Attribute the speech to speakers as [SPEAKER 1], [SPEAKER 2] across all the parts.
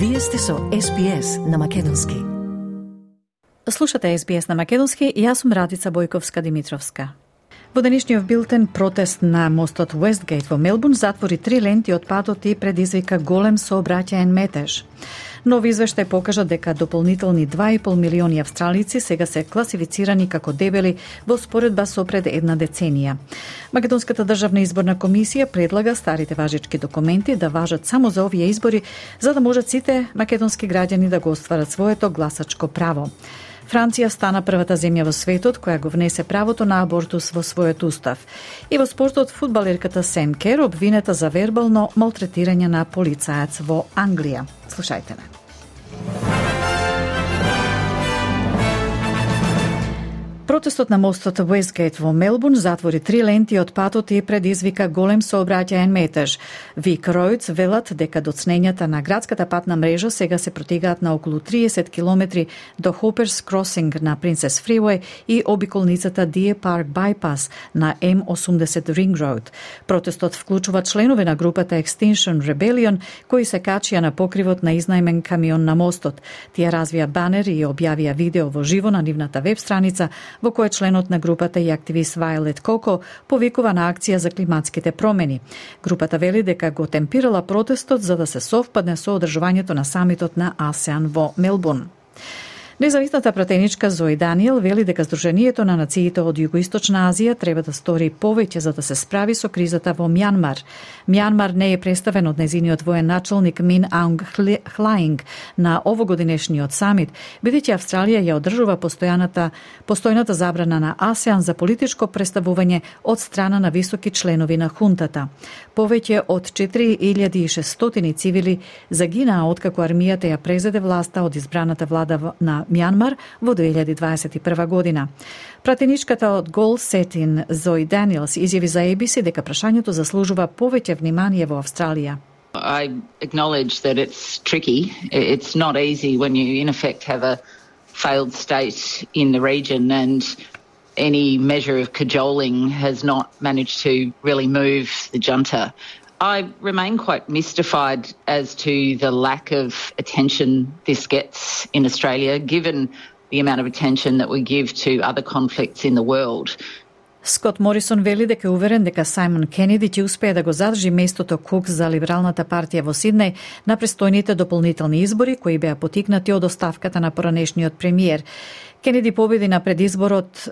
[SPEAKER 1] Вие сте со SBS на македонски.
[SPEAKER 2] Слушате SBS на македонски и јас сум Радица Бојковска-Димитровска. Во денешниот билтен протест на мостот Уестгейт во Мелбурн затвори 3 ленти од патот и предизвика голем сообраќаен метеж. Нови извештај покажа дека дополнителни 2,5 милиони австралици сега се класифицирани како дебели во споредба со пред една деценија. Македонската државна изборна комисија предлага старите важички документи да важат само за овие избори, за да можат сите македонски граѓани да го остварат своето гласачко право. Франција стана првата земја во светот која го внесе правото на абортус во својот устав. И во спортот фудбалерката Сем Кер обвинета за вербално малтретирање на полицаец во Англија. Слушајте ме. Протестот на мостот Уестгейт во Мелбурн затвори 3 ленти од патот и предизвика голем сообраќаен метеж. Вик Ројдс велат дека доцнењата на градската патна мрежа сега се протегаат на околу 30 километри до Хоперс Кросинг на Принцес Фриуеј и обиколницата Deer Park Bypass на M80 Ring Road. Протестот вклучува членови на групата Extinction Rebellion кои се качија на покривот на изнајмен камион на мостот. Тие развија банер и објавија видео во живо на нивната веб страница во кој членот на групата и активист Вајолет Коко повикува на акција за климатските промени. Групата вели дека го темпирала протестот за да се совпадне со одржувањето на самитот на АСЕАН во Мелбурн. Независната пратеничка Зои Даниел вели дека Сдруженијето на нациите од Југоисточна Азија треба да стори повеќе за да се справи со кризата во Мјанмар. Мјанмар не е представен од незиниот воен началник Мин Аунг Хлаинг на овогодинешниот самит, бидејќи Австралија ја одржува постојната забрана на АСЕАН за политичко представување од страна на високи членови на хунтата. Повеќе од 4600 цивили загинаа откако армијата ја презеде власта од избраната влада на Мјанмар во 2021 година. Пратеничката од Гол Сетин Зои Даниелс изјави за ABC дека прашањето заслужува повеќе внимание во Австралија.
[SPEAKER 3] I acknowledge that it's tricky. It's not easy when you in effect have a failed state in the region and any measure of cajoling has not managed to really move the junta. I remain quite mystified as to the lack of attention this gets in Australia, given the amount of attention that we give to other conflicts in the world.
[SPEAKER 2] Скот Морисон вели дека е уверен дека Сајмон Кенеди ќе успее да го задржи местото Кук за Либералната партија во Сиднеј на престојните дополнителни избори кои беа потикнати од оставката на поранешниот премиер. Кенеди победи на предизборот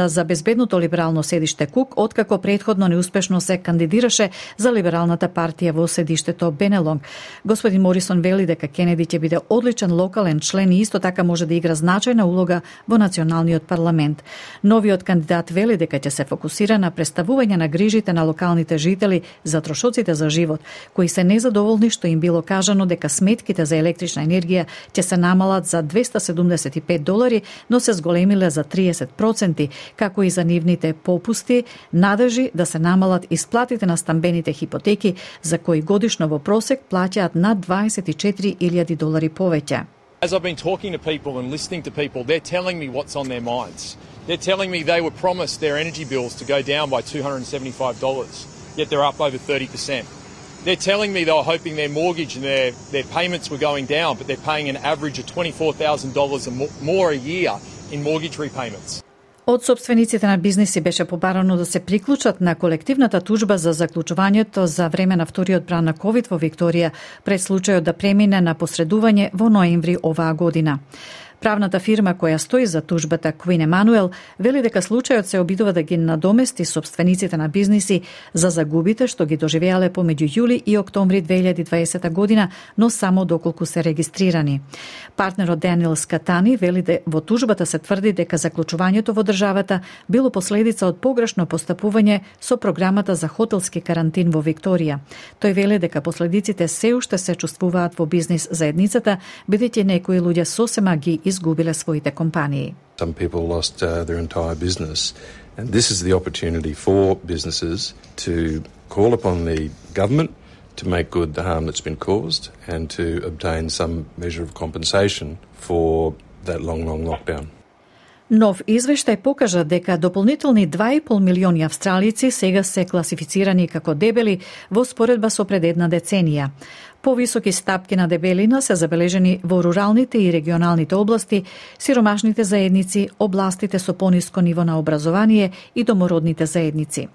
[SPEAKER 2] за безбедното либерално седиште Кук, откако претходно неуспешно се кандидираше за Либералната партија во седиштето Бенелонг. Господин Морисон вели дека Кенеди ќе биде одличен локален член и исто така може да игра значајна улога во националниот парламент. Новиот кандидат вели дека ќе се фокусира на представување на грижите на локалните жители за трошоците за живот, кои се незадоволни што им било кажано дека сметките за електрична енергија ќе се намалат за $275, но се зголемиле за 30%, како и за нивните попусти, надржи да се намалат исплатите на стамбените хипотеки, за кои годишно во просек плаќаат над $24,000 повеќе.
[SPEAKER 4] As I've been talking to people and listening to people, they're telling me what's on their minds. They're telling me they were promised their energy bills to go down by $275, yet they're up over 30%. They're telling me they were hoping their mortgage and their payments were going down, but they're paying an average of $24,000 more a year in mortgage repayments.
[SPEAKER 2] Од собствениците на бизниси беше побарано да се приклучат на колективната тужба за заклучувањето за време на вториот бран на COVID во Викторија пред случајот да премине на посредување во ноември оваа година. Правната фирма која стои за тужбата Queen Emanuel вели дека случајот се обидува да ги надомести собствениците на бизниси за загубите што ги доживеале помеѓу јули и октомври 2020 година, но само доколку се регистрирани. Партнерот Даниел Скатани вели дека во тужбата се тврди дека заклучувањето во државата било последица од погрешно постапување со програмата за хотелски карантин во Викторија. Тој вели дека последиците се уште се чувствуваат во бизнис заедницата, бидејќи некои луѓе сосема ги изгубиле своите компании.
[SPEAKER 5] Some people lost their entire business, and this is the opportunity for businesses to call upon the government to make good the harm that's been caused and to obtain some measure of compensation for that long lockdown.
[SPEAKER 2] Нов извештај покажа дека дополнителни 2,5 милиони австралици сега се класифицирани како дебели во споредба со пред една деценија. Повисоки стапки на дебелина се забележени во руралните и регионалните области, сиромашните заедници, областите со пониско ниво на образование и домородните заедници.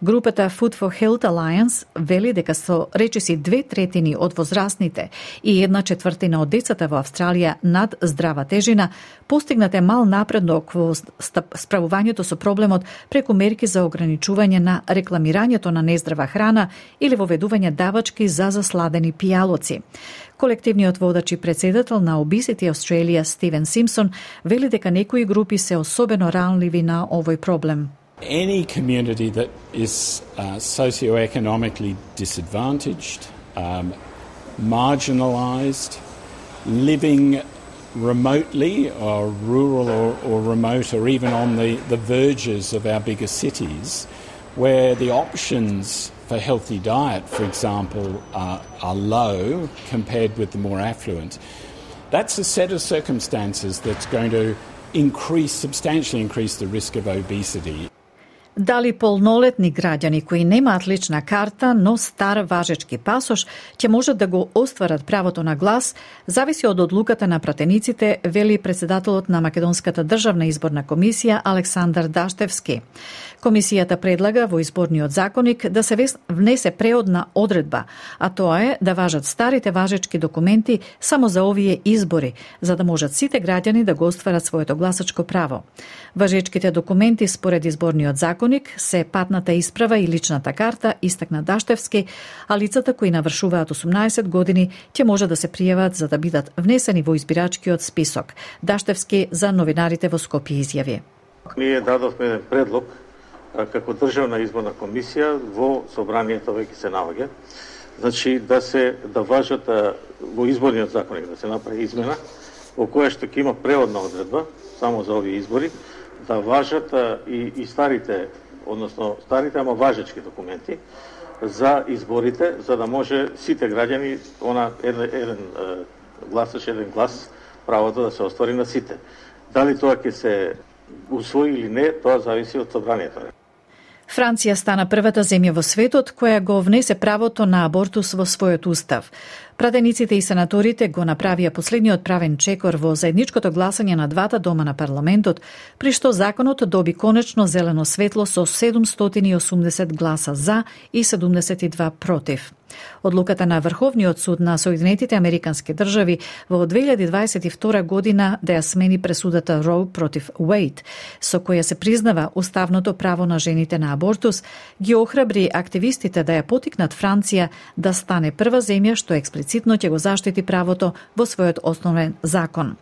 [SPEAKER 2] Групата Food for Health Alliance вели дека со речиси 2/3 од возрастните и 1/4 од децата во Австралија над здрава тежина постигнате мал напредок во справувањето со проблемот преку мерки за ограничување на рекламирањето на нездрава храна или воведување давачки за засладени пијалоци. Колективниот водач и председател на Obesity Australia Стивен Симпсон вели дека некои групи се особено ранливи на овој проблем.
[SPEAKER 6] Any community that is socioeconomically disadvantaged, marginalised, living remotely or rural or remote or even on the verges of our bigger cities, where the options for healthy diet, for example, are low compared with the more affluent. That's a set of circumstances that's going to substantially increase the risk of obesity.
[SPEAKER 2] Дали полнолетни граѓани кои немаат лична карта, но стар важечки пасош, ќе можат да го остварат правото на глас, зависи од одлуката на пратениците, вели председателот на Македонската државна изборна комисија Александар Даштевски. Комисијата предлага во изборниот законник да се внесе преодна одредба, а тоа е да важат старите важечки документи само за овие избори, за да можат сите граѓани да го остварат своето гласачко право. Важечките документи според изборниот законник се патната исправа и личната карта, истакна Даштевски, а лицата кои навршуваат 18 години ќе може да се пријават за да бидат внесени во избирачкиот список. Даштевски за новинарите во Скопје изјави.
[SPEAKER 7] Ние дадовме предлог како државна изборна комисија во собранието веќе се наоѓа. Значи да важат во изборниот законник да се направи измена во која што ќе има преодна одредба само за овие избори, да важат и старите, односно старите, ама важечки документи за изборите, за да може сите граѓани, еден гласач, еден глас, правото да се оствари на сите. Дали тоа ќе се усвои или не, тоа зависи од собранието.
[SPEAKER 2] Франција стана првата земја во светот која го внесе правото на абортус во својот устав. Пратениците и сенаторите го направија последниот правен чекор во заедничкото гласање на двата дома на парламентот, при што законот доби конечно зелено светло со 780 гласа за и 72 против. Одлуката на Врховниот суд на Соединетите Американски држави во 2022 година да ја смени пресудата Роу против Уейд, со која се признава уставното право на жените на абортус, ги охрабри активистите да ја потикнат Франција да стане прва земја што експлицитно ќе го заштити правото во својот основен закон.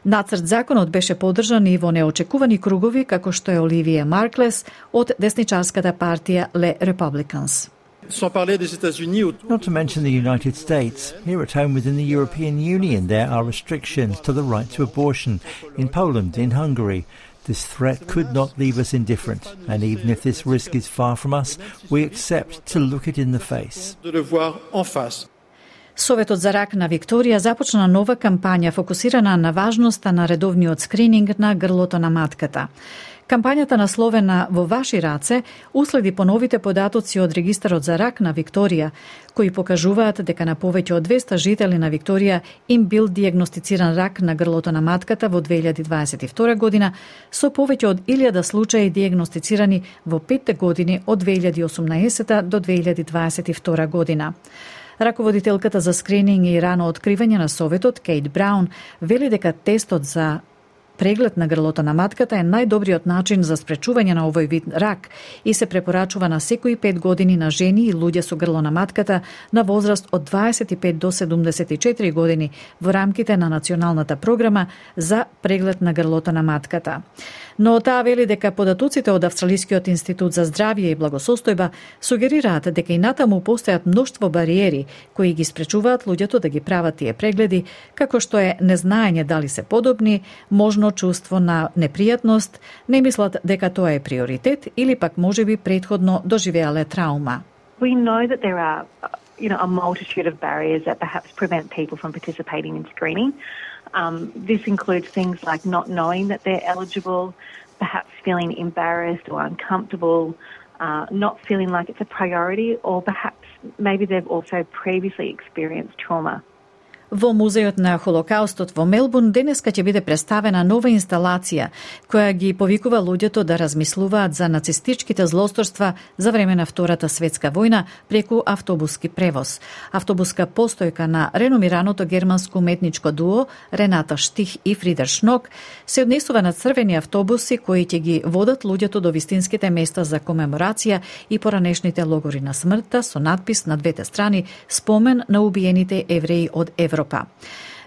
[SPEAKER 2] Нацрт законот беше поддржан и во неочекувани кругови како што е Оливија Марклес од десничарската партија Le Republicans.
[SPEAKER 8] Not to mention the United States. Here at home within the European Union, there are restrictions to the right to abortion in Poland, in Hungary. This threat could not leave us indifferent, and even if this risk is far from us, we accept to look it in the face.
[SPEAKER 2] Советот за рак на Викторија започна нова кампања фокусирана на важноста на редовниот скрининг на грлото на матката. Кампањата насловена "Во ваши раце" уследи поновите податоци од Регистарот за рак на Викторија, кои покажуваат дека на повеќе од 200 жители на Викторија им бил диагностициран рак на грлото на матката во 2022 година, со повеќе од 1000 случаи диагностицирани во 5 години од 2018 до 2022 година. Раководителката за скрининг и рано откривање на Советот, Кейт Браун, вели дека тестот за преглед на грлото на матката е најдобриот начин за спречување на овој вид рак и се препорачува на секои 5 години на жени и луѓе со грло на матката на возраст од 25 до 74 години во рамките на националната програма за преглед на грлото на матката. Но таа вели дека податоците од Австралискиот институт за здравје и благосостојба сугерираат дека и натаму постојат мноштво бариери кои ги спречуваат луѓето да ги прават тие прегледи, како што е незнаење дали се подобни, можно чувство на непријатност, не мислат дека тоа е приоритет или пак можеби претходно доживеале траума.
[SPEAKER 9] We know that there are, a multitude of barriers that perhaps prevent people from participating in screening. This includes things like not knowing that they're eligible, perhaps feeling embarrassed or uncomfortable, not feeling like it's a priority, or perhaps maybe they've also previously experienced trauma.
[SPEAKER 2] Во Музејот на Холокаустот во Мелбурн денеска ќе биде представена нова инсталација која ги повикува луѓето да размислуваат за нацистичките злосторства за време на Втората светска војна преку автобуски превоз. Автобуска постојка на реномираното германско уметничко дуо Рената Штих и Фридер Шнок се однесува на црвени автобуси кои ќе ги водат луѓето до вистинските места за комеморација и поранешните логори на смртта со надпис на двете страни спомен на убиените евреи од Европа.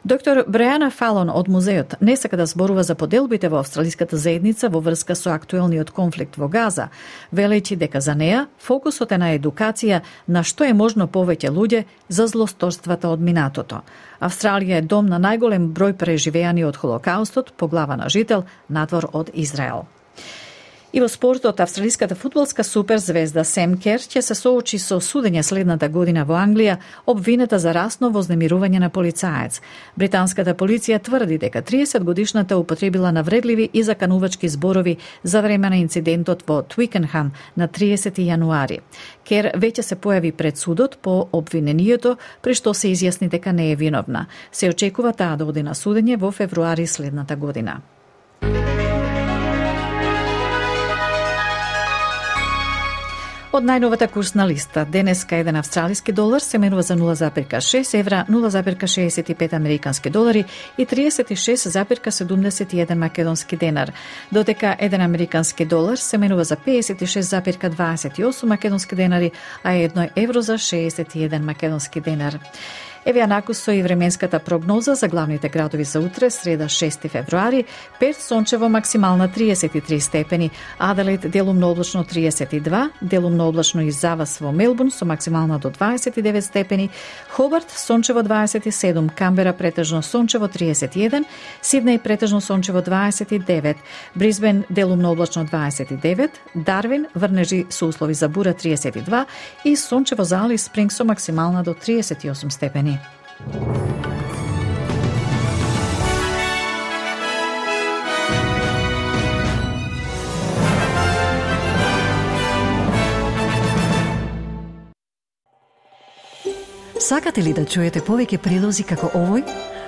[SPEAKER 2] Доктор Бреана Фалон од музеот не сака да зборува за поделбите во австралиската заедница во врска со актуелниот конфликт во Газа, велејќи дека за неа фокусот е на едукација на што е можно повеќе луѓе за злосторствата од минатото. Австралија е дом на најголем број преживеани од Холокаустот по глава на жител надвор од Израел. И во спортот, австралиската фудбалска суперзвезда Сем Кер ќе се соочи со судење следната година во Англија, обвинета за расно вознемирување на полицаец. Британската полиција тврди дека 30-годишната употребила навредливи и заканувачки зборови за време на инцидентот во Твикенхам на 30 јануари. Кер веќе се појави пред судот по обвинението, при што се изјасни дека не е виновна. Се очекува таа да оди на судење во февруари следната година. Од најновата курсна листа, денеска еден австралиски долар се менува за 0,6 евра, 0,65 американски долари и 36,71 македонски денар, додека еден американски долар се менува за 56,28 македонски денари, а 1 евро за 61 македонски денар. Еве накусо и временската прогноза за главните градови за утре, среда 6 февруари, Перт сончево максимална 33 степени, Аделаид делумно облачно 32, делумно облачно и завас во Мелбурн со максимална до 29 степени, Хобарт сончево 27, Камбера претежно сончево 31, Сиднеј претежно сончево 29, Брисбен делумно облачно 29, Дарвин врнежи со услови за бура 32 и сончево за Алис Спринг со максимална до 38 степени.
[SPEAKER 1] Сакате ли да чуете повеќе прилози како овој?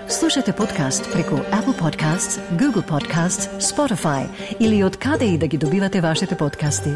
[SPEAKER 1] Слушате подкаст преку Apple Podcasts, Google Podcasts, Spotify или од каде и да ги добивате вашите подкасти.